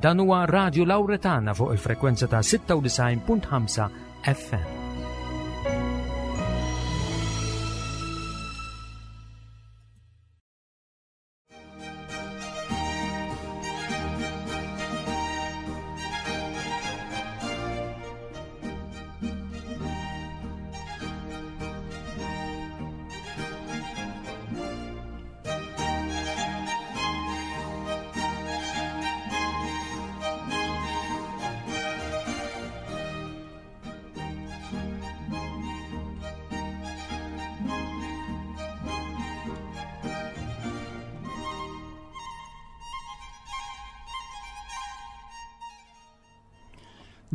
Dan huwa Radio Lauretana fuq il-frekwenza ta' 96.5 FM.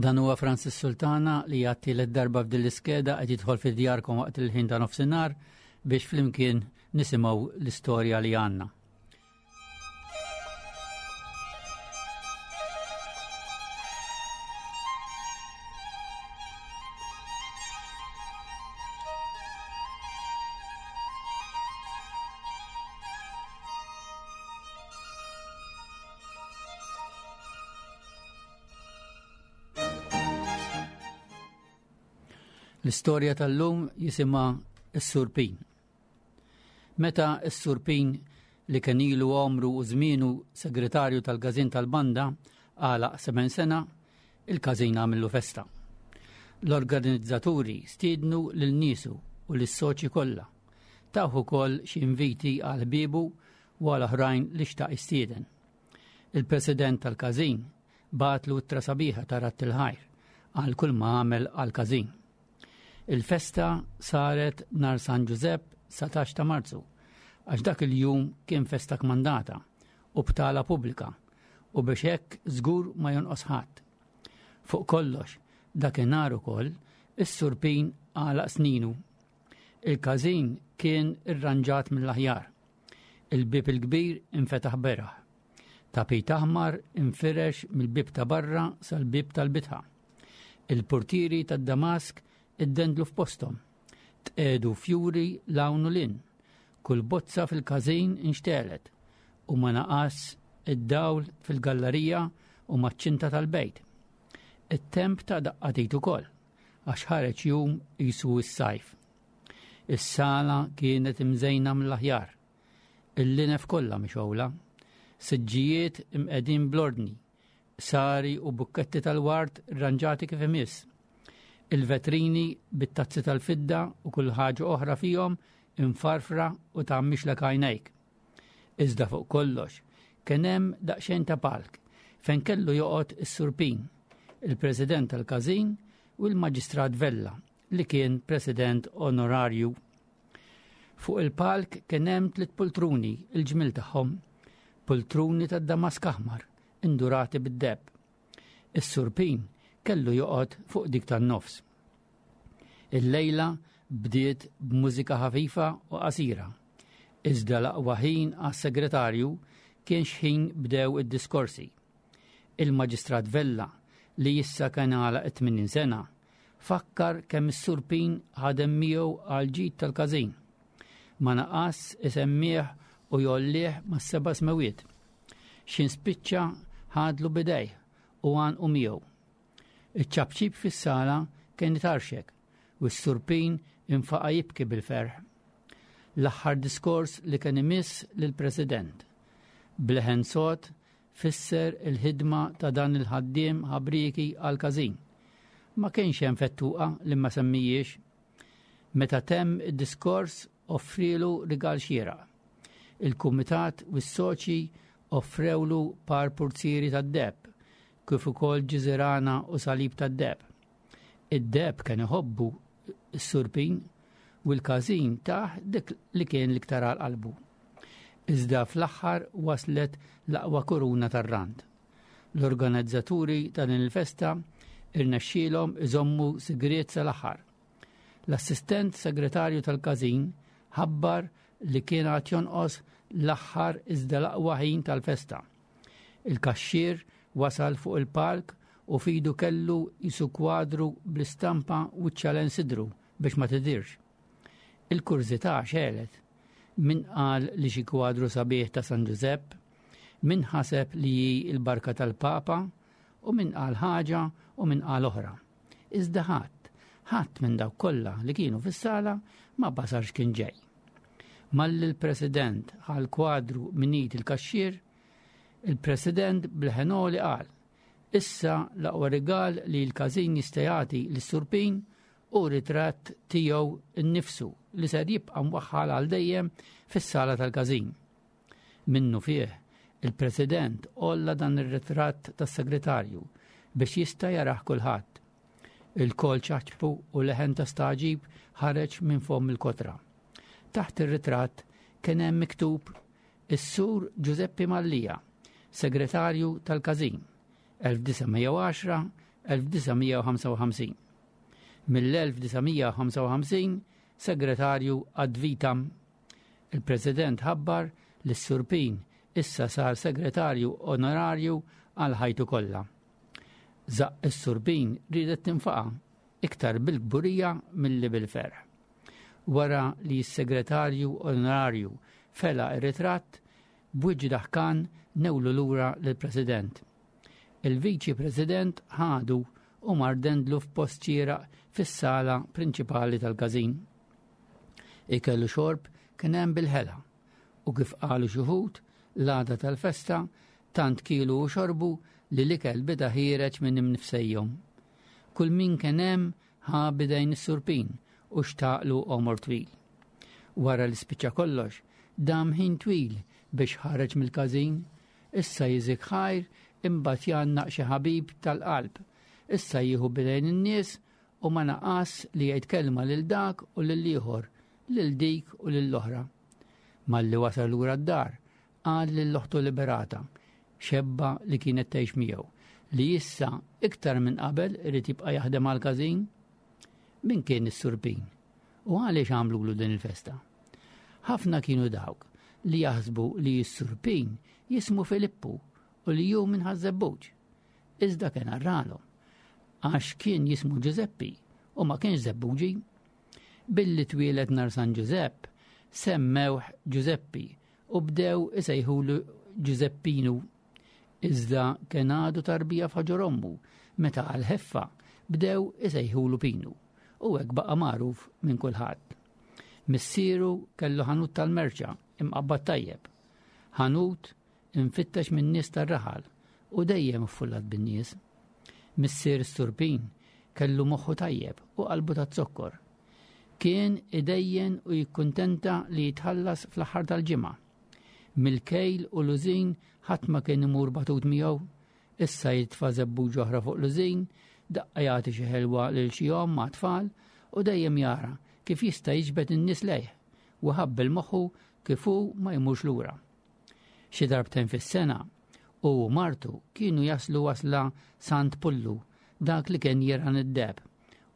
Dan huwa Francis Sultana li jagħti l darba f'din l-iskeda qed jidħol fi djarkom waqt il-ħin ta' nofsinhar biex flimkien nisimgħu l-istorja li għandna. L-istorja tal-lum jisimha s-Surpin. Meta s-Sur Pin, li kien ilu għomru u żmienu segretarju tal-Każin tal-Banda, għalaq seben sena, il-każin għamillu festa. L-organizzaturi stiednu lil niesu u lis-soċji kollha. Tawh ukoll xi inviti għal ħbiebu u għal oħrajn li xtaq jistieden. Il-President tal-każin bagħatlu ittra sabiħa ta' radd il-ħajr għal kull ma għamel għall-każin. Il-festa saret nhar San Ġużepp 19 ta' Marzu, għax dak il-jum kien festa kmandata u btala pubblika u biex hekk żgur ma jonqos ħadd. Fuq kollox, dakinhar ukoll is-Sur Pin għalaq sninu. Il-każin kien irranġat mill-aħjar. Il-bieb il-kbir infetaħ beraħ. Tapit aħmar infirex mill-bieb ta' barra sal-bieb tal-bitħa. Il-purtieri tad-Damask iddendlu f'posthom. Tqiegħdu fjuri 'l hawn u 'l hinn. Kull bozza fil-każin inxtegħlet u ma naqas id-dawl fil-gallarija u maċ-ċinta tal-bejt. It-temp ta daqqa t'id ukoll għax ħareġ jum qisu s-sajf. Is-sala kienet imżejna mill-aħjar. Il-linef kollha mixgħula. Siġġijiet imqegħdin bl-ordni. Sari u bukketti tal-ward rranġati kif imiss. Il-vetrini bit-tazzi tal-fidda u kull ħaġa oħra fihom imfarfra u tgħammixlek għajnejk. Iżda fuq kollox, kien hemm daqsxejn ta' palk fejn kellu joqgħod is-Sur Pin, il-President tal-Każin u l-Maġistrat Vella li kien President Onorarju. Fuq il-palk kien hemm tliet pultruni il-ġmiel tagħhom, pultruni tad-damask aħmar indurati bid-deheb. Is-Sur Pin kellu joqgħod fuq dik tan-nofs. Il-lejla bdiet b'mużika ħafifa u qasira. Iżda l-aqwa ħin għas-segretarju kien x'ħin bdew id-diskorsi. Il-Maġistrat Vella, li issa kien għalaq it-80 sena, Fakkar kemm is-Sur Pin ħadem miegħu għall-ġid tal-każin. Ma naqas isemmih u jgħollih mas-seba' smewiet. X'in spiċċa ħadlu b'idejh u għanqu miegħu. Iċ-ċapċip fis-sala kien itarxek u s-Sur Pin infaqa' jibki bil-ferħ. L-aħħar diskors li kien imiss lill-President. B'leħen sod Fisser il-ħidma ta' dan il-ħaddiem ħabrieki għall-każin. Ma kienx hemm fettuqa li ma semmijiex. Meta temm id-diskors offrielu rigal xieraq. Il-kumitat u s-soċji offrewlu par purzieri tad-deheb, kif ukoll ġiżirana u salib tad-deheb. Id-deheb kien iħobbu s-Sur Pin u l-każin tah dik li kien l-iktar għal qalbu. Iżda fl-aħħar waslet l-aqwa kuruna tar-rand. L-organizzaturi ta' din il-festa irnexxielhom iżommu sigriet sal-aħħar. L-assistent segretarju tal-każin ħabbar li kien għad jonqos l-aħħar iżda l-aqwa ħin tal-festa. Il-kaxxier wasal fuq il-palk u f'idu kellu qisu kwadru bl-istampa wiċċha lejn sidru biex ma tidhirx. Il-kurżità xegħlet. Min qal li xi kwadru sabiħ ta' San Ġużepp? Min ħaseb li hi l-barka tal-Papa u min qal ħaġa u min qal oħra. Iżda ħadd, ħadd minn dawk kollha li kienu fis-sala ma basar x'kien ġej. Malli l-President ħa l-kwadru minn id il-kaxxier, il-President bl-ħenoli qal, Issa l-aqwa rigal li l-każin jista' jagħti lis-Sur Pin hu ritratt tiegħu nnifsu li ser jibqa' mwaħħal għal dejjem fis-sala tal-każin. Minnufih, il-President għolla dan ir-ritratt tas-segretarju biex jista' jarah kulħadd. Ilkoll ċaċpu u leħen ta' stagħġib ħareġ minn fomm il-kotra. Taħt ir-ritratt kien hemm miktub Is-Sur Ġużeppi Mallia, Segretarju tal-Każin, 1910-1955. Mill-1955 Segretarju ad vitam. Il-President ħabbar li s-Sur Pin issa sar Segretarju Onorarju għal ħajtu kollha. Żaqq is-Sur Pin riedet tinfaqa' iktar bil-kburija milli bil-ferħ. Wara li s-Segretarju Onorarju fela r-ritratt, b'wiċċ daħkan newlu lura lill-President. Il-Viċi President ħadu u mar dendlu f'post xieraq fis-sala prinċipali tal-każin. Ikel u xorb kien hemm bil-ħela u kif qalu xi wħud, l-għada tal-festa tant kielu u xorbu li l-ikel beda ħiereġ minn imnifsejhom. Kull min kien hemm ħa b'idejn is-Sur Pin u xtaqlu għomor twil. Wara li spiċċa kollox, dam ħin twil biex ħareġ mill-każin, issa jiżik ħajr imbagħad jgħannaq xi ħabib tal-qalb, issa jieħu b'idejn in-nies u ma naqas li jgħid kelma lil dak u lill-ieħor, lil dik u lill-oħra. Malli wasal lura d-dar, qal lil oħtu Liberata, xebba li kienet tgħix miegħu, li issa iktar minn qabel irid jibqa' jaħdem għall-każin. Min kien is-Sur Pin? U għaliex għamlulu din il-festa? Ħafna kienu dawk li jaħsbu li s-Sur Pin jismu Filippu u li hu minn Ħaż-Żebbuġ. Iżda kien arralhom għax kien jismu Ġużeppi u ma kienx Żebbuġi. Billi twieled nhar San Ġużepp, semmewh Ġużeppi u bdew isejħulu Ġużeppinu. Iżda kien għadu tarbija f'ħoġor ommu meta għall-ħeffa bdew isejħulu Pinu u hekk baqa' magħruf minn kulħadd. Missieru kellu ħanut tal-merċa imqabbad tajjeb. Ħanut imfittex min-nies tar-raħal u dejjem iffullat bin-nies. Missier is-Sur Pin kellu moħħu tajjeb u qalbu taz-zokkor. Kien idejjen u jikkuntenta li jitħallas fl-aħħar tal-ġimgħa. Mill-kejl u l-użin ħadd ma kien imur batut miegħu. Issa jitfa' żebbuġ oħra fuq l-użin, daqqa jagħti xi ħelwa lil xi omm ma' tfal u dejjem jara kif jista' jiġbed in-nies lejh u ħabbel moħħu kif hu ma jmurx lura. Xi darbtejn fis-sena, hu u martu kienu jaslu wasla Sant Pullu, dak li kien jirgħan id-deheb,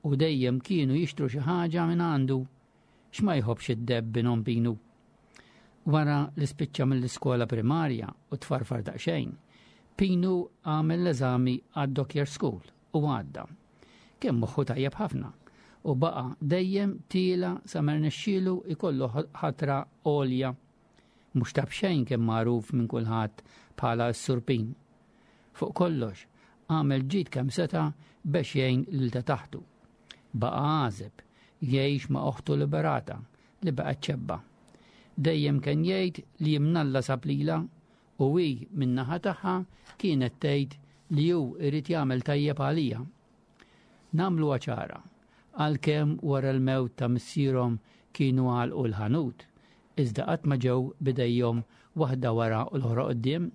u dejjem kienu jixtru xi ħaġa minn għandu. X'ma jħobbx id-deheb binhom Pinu? Wara li spiċċa mill-iskola primarja u tfarfar daqsxejn, Pinu għamel l-eżami għad-Dockyard School u għadda. Kien moħħu tajjeb ħafna u baqa' dejjem tiela' sa ma rnexxielu jkollu ħatra għolja. Mhux ta' b'xejn kien magħruf minn kulħadd bħala s-Sur Pin. Fuq kollox, għamel ġid kemm seta' bex jgħin lil ta' taħtu. Baqa' għażeb, jgħix ma' oħtu Liberata li baqgħet ċebba. Dejjem kien jgħid li imnalla sab lilha u hi min-naħa tagħha kienet tgħid li hu irid jagħmel tajjeb għalija. Nagħmluha ċara, għalkemm wara l-mewt ta' missierhom kienu għalqu l-ħanut, iżda qatt ma ġew b'idejhom waħda wara u l-oħra quddiem.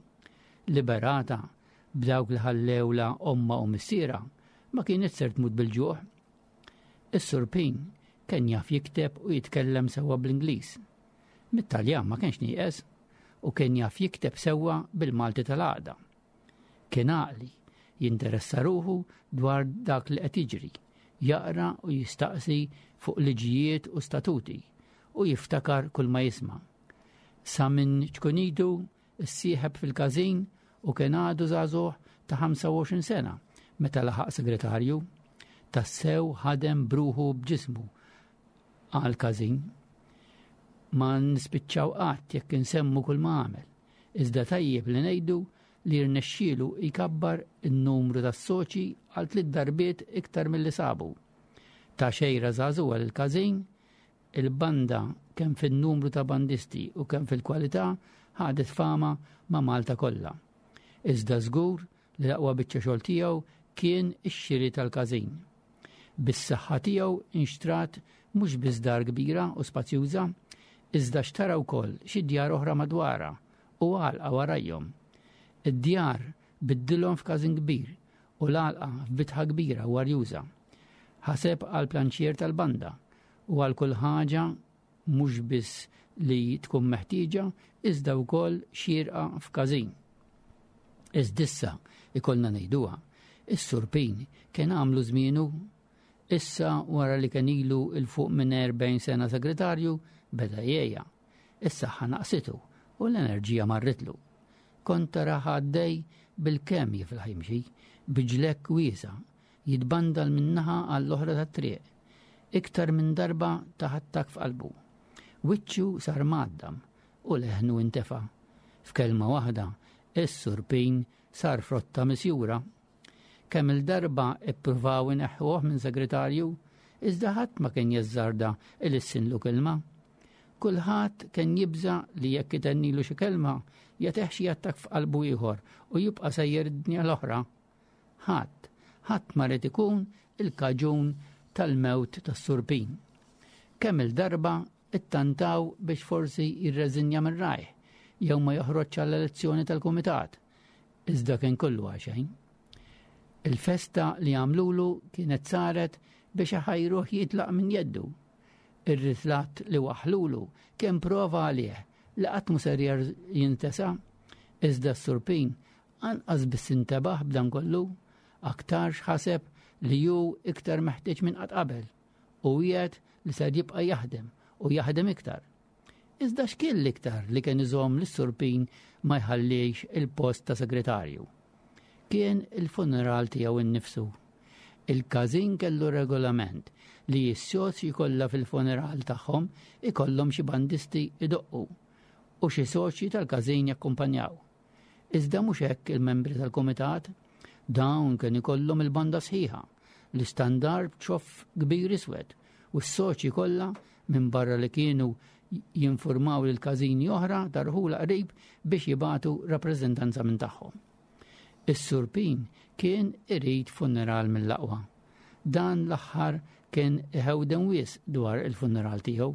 Liberata, b'dawk li ħallewlha ommha u missierha, ma kienet ser tmut bil-ġuħ. Is-Sur Pin kien jaf jikteb u jitkellem sewwa bl-Ingliż. Mit-Taljan ma kienx nieqes u kien jaf jikteb sewwa bil-Malti tal-għaqda. Kien għaqli, jinteressa ruħu dwar dak li qed jiġri, jaqra u jistaqsi fuq liġijiet u statuti u jiftakar kull ma jisma'. Sa minn ċkunitu ssieħeb fil-każin u kien għadu żagħżugħ ta' 25 sena meta laħaq segretarju. Tassew ħadem bruħu b'ġismu għal każin. Ma nispiċċaw qatt jekk insemmu kull ma għamel. Iżda tajjeb li ngħidu li rnexxielu jkabbar in-numru tas-soċi għal tliet darbiet iktar milli sabu. Ta xejra żagħżugħa lill-każin, il-banda kemm fin-numru ta' bandisti u kemm fil-kwalità ħadet fama ma' Malta kollha. Iżda żgur li l-aqwa biċċa xogħol tiegħu kien ix-xiri tal-każin. Bis-saħħa tiegħu inxtrat mhux biss dar kbira u spazjuża, iżda xtara wkoll xi djar oħra madwarha u għalqa warajhom. Id-djar biddilhom f'każin kbir u l-għalqa f'bitħa kbira u arjuża. Ħaseb għal planċier tal-banda u għal kull ħaġa mhux biss li tkun meħtieġa iżda wkoll xierqa f'każin. Iżdissa ikollna ngħiduha, is-Sur Pin kien għamlu żmienu issa wara li kien ilu 'l fuq minn 40 sena segretarju beda jgħejja. Is-saħħa naqsitu u l-enerġija marritlu. Kont tarah għaddej bil-kemm jiflaħ jimxi, bi ġlekk wiesa' jitbandal minn naħa għall-oħra tat-triq. Iktar minn darba ta attakk f'qalbu. Wiċċu sar mgħaddam u leħnu intefa'. F'kelma waħda, is-Sur Pin sar frotta misjura. Kemm-il darba ippruvaw ineħħuh minn segretarju, iżda ħadd ma kien jażżarda ilissinlu kelma. Kulħadd kien jibża' li jekk itennilu xi kelma, jagħtih xi attakk f'qalbu ieħor u jibqa' sejjer id-dinja l-oħra. Ħadd, ħadd ma ried ikun il-kaġun tal-mewt tas-Sur Pin. Kemm-il darba ittantaw biex forsi jirreżinja minn rajh jew ma joħroġx għall-elezzjoni tal-kumitat, iżda kien kollu għaxejn. Il-festa li għamlulu kienet saret biex iħajruh jitlaq minn jeddu. Ir-ritlatt li waħħlulu kien prova għalih li qatt mhu ser jintesa, iżda s-Sur Pin Anqas biss intebaħ b'dan kollu, aktarx ħaseb li hu iktar meħtieġ minn qatt qabel u wiegħed li ser jibqa' jaħdem u jaħdem iktar. Iżda x'kien l-iktar li kien iżomm lis-Sur Pin ma jħallix il-post ta' segretarju? Kien il-funeral tiegħu innifsu. Il-każin kellu regolament li s-soċji kollha fil-funeral tagħhom ikollhom xi bandisti idoqqu u xi soċji tal-każin jakkumpanjaw. Iżda mhux hekk il-membri tal-kumitat. Dawn kien ikollhom il-banda sħiħa, l-istandard b'ċoff kbir iswed u s-soċji kollha minbarra li kienu jinfurmaw lil każini oħra ta' rħula qrib biex jibagħtu rappreżentanza minn tagħhom. Is-Sur Pin kien irid funeral mill-aqwa. Dan l-aħħar kien iħewden wisq dwar il-funeral tiegħu.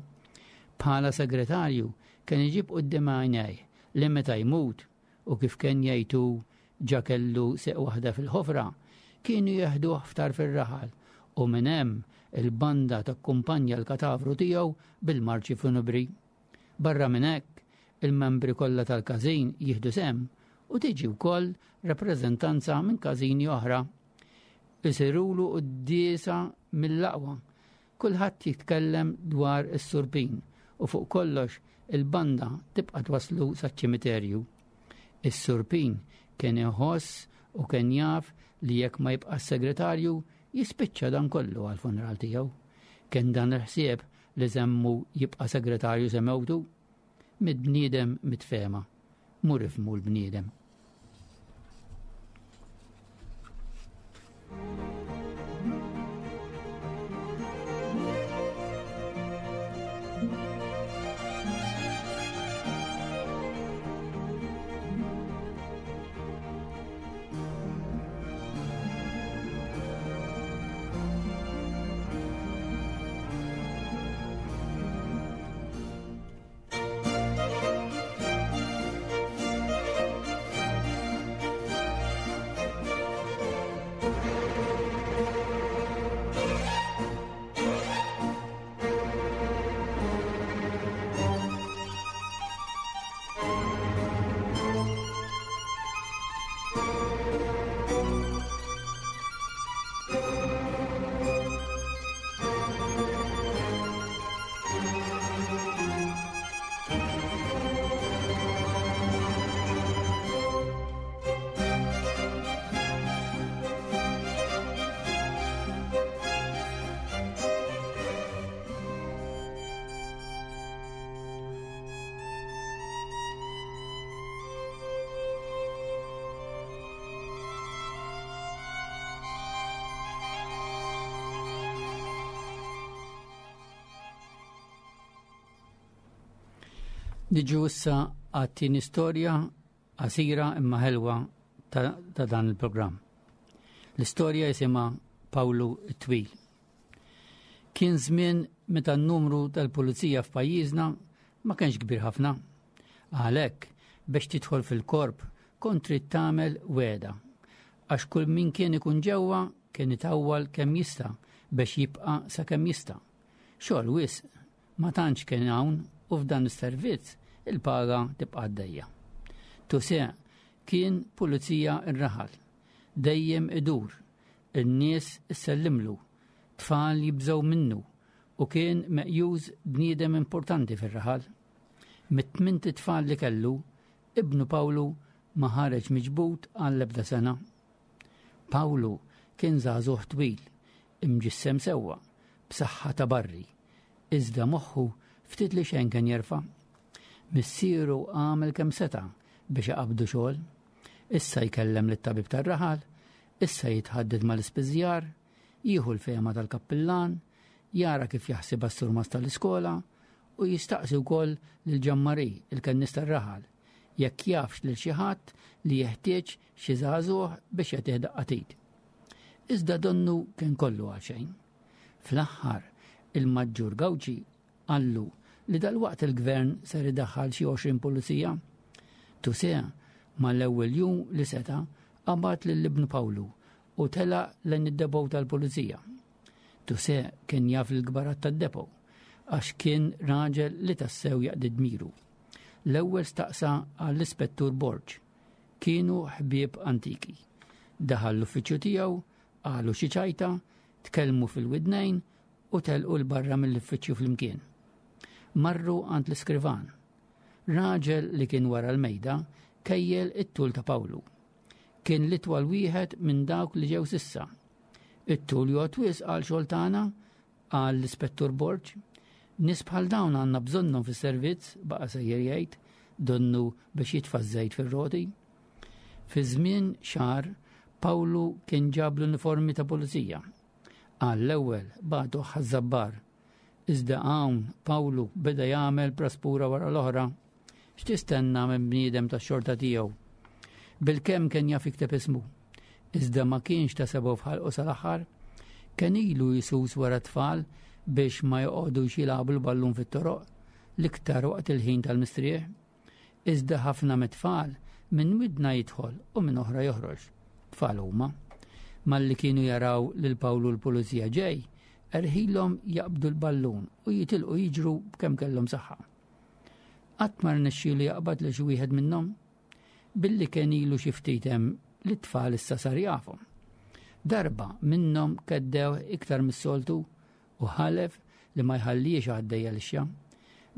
Bħala segretarju kien iġib quddiem għajnejh li meta jmut, u kif kien jgħid hu ġa kellu seq waħda fil-ħofra, kienu jeħduh f'tarf ir-raħal u minn hemm il-banda takkumpanja l-katavru tiegħu bil-marċi funebri. Barra minn hekk, il-membri kollha tal-każin jieħdu sehem u tiġi wkoll rappreżentanza minn każini oħra. Isirulu quddiesa mill-aqwa Kulħadd jitkellem dwar is-Sur Pin u fuq kollox il-banda tibqa' twasslu saċ-ċimiterju. Is-Sur Pin kien iħoss u kien jaf li jekk ma jibqax segretarju jispiċċa dan kollu għall-funeral tiegħu. Kien dan il-ħsieb li żemmu jibqa' segretarju se mewtu? Mid-bniedem mitfehma. Mur ifhmu l-bniedem. Niġu issa għat-tieni storja qasira imma ħelwa ta', ta dan il-programm. L-istorja jisimha Pawlu t-Twil. Kien żmien meta n-numru tal-pulizija f'pajjiżna ma kienx kbir ħafna. Għalhekk biex tidħol fil-korp kont trid tagħmel wegħda għax kull min kien ikun ġewwa kien itawwal kemm jista' biex jibqa' sakemm jista'. Xogħol wisq ma tantx kien hawn u f'dan is-servizz il-paga tibqa' għaddejja. Tuse kien pulizija r-raħal. Dejjem idur, in-nies issellimlu, tfal jibżgħu minnu u kien meqjuż bniedem importanti fir-raħal. Mit-tmint itfal li kellu, ibnu Pawlu ma ħareġ miġbud għall-ebda sena. Pawlu kien żagħżugħ twil, imġissem sewwa, b'saħħa ta' barri, iżda moħħu ftit li xejn kien jerfa'. Missieru għamel kemm seta' biex iqabbdu xogħol. Issa jkellem lit-tabib tar-raħal, issa jitħadded mal-ispiżjar, jieħu l-fehma tal-kappillan, jara kif jaħsibha s-surmast tal-iskola u jistaqsi wkoll lil Ġammari, il-kennies tar-raħal, jekk jafx lil xi ħadd li jeħtieġ xi żagħżugħ biex jagħtih daqqa t'id. Iżda donnu kien kollu għal xejn. Fl-aħħar, il-Maġġur Gauci qallu li dalwaqt il-gvern ser idaħħal xi 20 pulizija. Tuse, mal-ewwel jum li seta' qabad lil ibnu Pawlu u telaq lejn id-depot tal-pulizija. Tuse kien jaf l-kbarat tad-depot għax kien raġel li tassew jaqdi dmiru. L-ewwel staqsa għall-Ispettur Borg. Kienu ħbieb antiki. Daħal l-uffiċċju tiegħu, qalu xi ċajta, tkellmu fil-widnejn u telqu 'l barra mill-uffiċċju flimkien. Marru għand l-iskrivan. Raġel li kien wara l-mejda kejjel it-tul ta' Pawlu. Kien l-itwal wieħed minn dawk li ġew sissa. It-tul jgħod wisq għal xogħol tagħna, qal l-Ispettur Borg. Nies bħal dawn għandna bżonnhom fis-servizz, baqa' sejjer jgħid, donnu biex jitfa' żejt fir-roti. Fi żmien xahar, Pawlu kien ġab l-uniformi ta' pulizija. Għall-ewwel bagħtuh Ħaż-Żabbar. Iżda hawn Pawlu beda jagħmel praspura wara l-oħra. X'tistenna minn bniedem tax-xorta tiegħu? Bilkemm kien jaf jikteb ismu. Iżda ma kienx ta' sebgħu f'ħalqu sal-aħħar. Kien ilu jsus wara t-tfal biex ma joqogħdux jilagħbu l-ballun fit-toroq, l-iktar waqt il-ħin tal-mistrieħ. Iżda ħafna mit-tfal minn widna jidħol u minn oħra joħroġ. Tfal huma. Malli kienu jaraw lil Pawlu l-pulizija ġej, erħilhom jaqbdu l-ballun u jitilqu jiġru b'kemm kellhom saħħa. Qatt ma rnexxielu jaqbad lil xi wieħed minnhom. Billi kien ilu xi ftit hemm li t-tfal issa sar jafhom. Darba minnhom keddew iktar mis-soltu u ħalef li ma jħalliex għaddejja lixxa.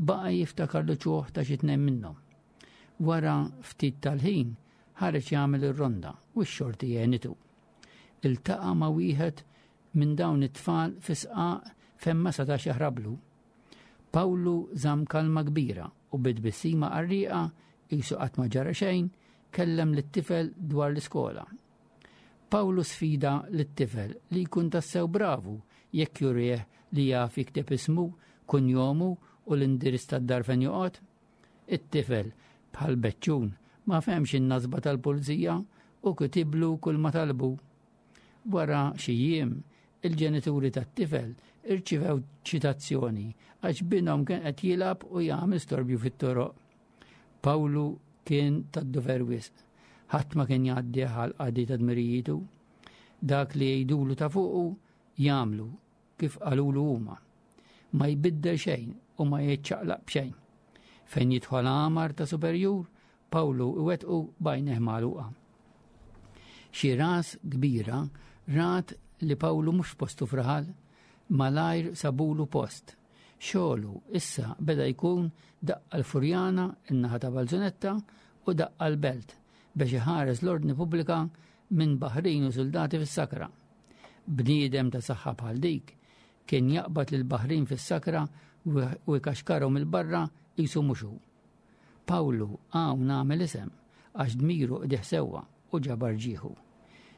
Baqa' jiftakar l-uċuħ ta' xi tnejn minnhom. Wara ftit tal-ħin ħareġ jagħmel ir-ronda u x-xorti għenitu. Iltaqa' ma' wieħed minn dawn it-tfal fi sqaq fejn ma setax jaħrablu. Pawlu żamm kalma kbira u bi tbissima qarrieqa qisu qatt ma ġara xejn, kellem lit-tifel dwar l-iskola. Pawlu sfida lit-tifel li jkun tassew bravu jekk jurih li jaf jikteb ismu, kunjomu u l-indirizz tad-dar fejn joqgħod. It-tifel, bħal beċċun, ma fehmx in-nasba tal-pulizija u kitiblu kull ma talbu. Wara xi jiem, il-ġenituri tat-tifel irċivew ċitazzjoni għax binhom kien qed jilgħab u jagħmel storbju fit-toroq. Pawlu kien tad-dover wisq. Ħadd ma kien jgħaddih għal qadi ta' dmirijitu. Dak li jgħidulu ta' fuqu jagħmlu kif qalulu huma. Ma jbiddel xejn u ma jiċċaqlaq b'xejn. Fejn jidħol għamar ta' superjur, Pawlu iwettqu b'għajnejh magħluqa. Xi ras kbira rat li Pawlu mhux f'postu f'raħal, malajr sabulu post. Xogħlu issa beda jkun daqqa l-Furjana, in-naħa ta' Balzunetta, u daqqa l-Belt biex iħares l-ordni pubblika minn baħrin u suldati fis-sakra. Bniedem ta' saħħa bħal dik kien jaqbad lil baħrin fis-sakra u jkaxkarhom il-barra qisu mhux hu. Pawlu hawn għamel isem għax dmiru qdieh sewwa u ġabar ġieħu.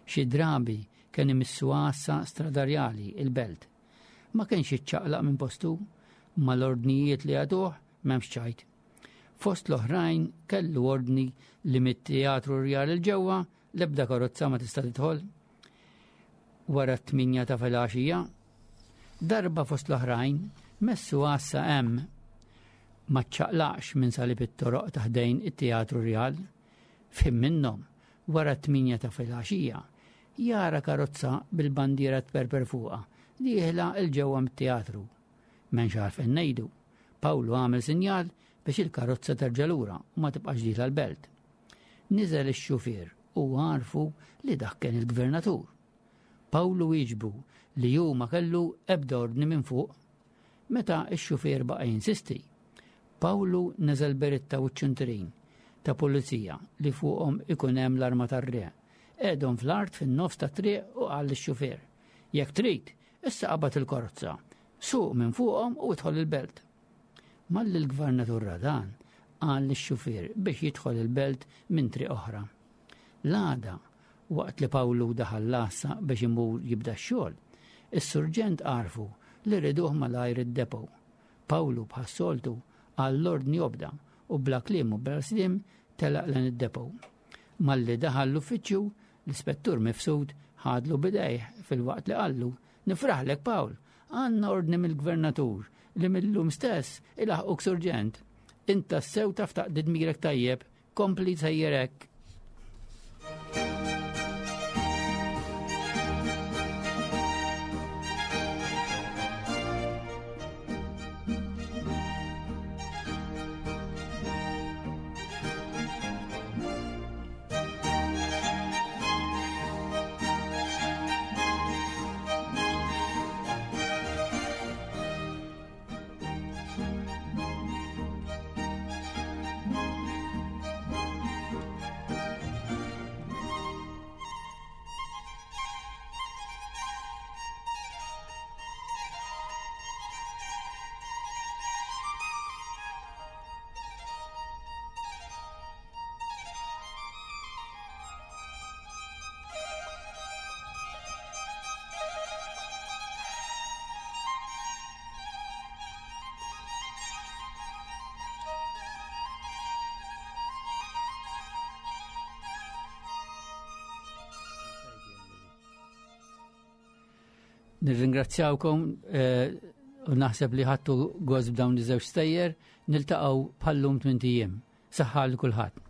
Xi drabi kien imissu għassa stradarjali il-Belt. Ma kienx jiċċaqlaq minn postu, mal-ordnijiet li jagħtuh m'hemmx ċajt. Fost l-oħrajn kellu ordni li mit-teatru rjal il-ġewwa l-ebda karozza ma tista' tidħol. Wara t-tminja ta' filgħaxija, darba fost l-oħrajn messu għassa hemm ma ċċaqlaqx minn salib it-toroq ta' ħdejn it-teatru rjal. F'ħin minnhom, wara t-tminja ta' filgħaxija, jara karozza bil-bandiera tperper fuqha dieħla 'l ġewwa mit-teatru. M'hemmx għalfejn ngħidu, Pawlu għamel sinjal biex il-karozza terġa' lura u ma tibqax dieħla l-belt. Niżel ix-xufier u għarfu li dak kien il-gvernatur. Pawlu wieġbu li hu ma kellu ebda ordni minn fuq. Meta x-xufier baqa' jinsisti, Pawlu neżel beritta u ċ-ċinturin ta' pulizija li fuqhom ikun hemm l-arma tar-re. Qegħdhom fl-art fin-nofs tat-triq u qal lix-xufier, Jekk trid, issa qabad il-karozza, suq minn fuqhom u idħol il-belt. Malli l-gvernatur ra dan, qal lix-xufier biex jidħol il-belt minn triq oħra. L-għada, waqt li Pawlu daħal l-għassa biex imur jibda x-xogħol, is-surġent għarfu li riduh malajr id-depot. Pawlu bħas-soltu għall-ordni obda u bla kliem u bla sliem telaq lejn id-depot. Malli daħal l-uffiċċju, l-ispettur Mifsud ħadlu bidejh filwaqt li qallu, Nifraħlek Pawl, għandna ordni mill-gvernatur li mill-lum stess ilaħquk surġent. Int tassew taf taqdi dmirek tajjeb, kompli sejjer hekk. Nirringrazzjawkom eh, u naħseb li ħattu gost b'dawn iż-żewġ stejjer, niltaqgħu bħallum tmint ijiem. Saħħa lil kulħadd.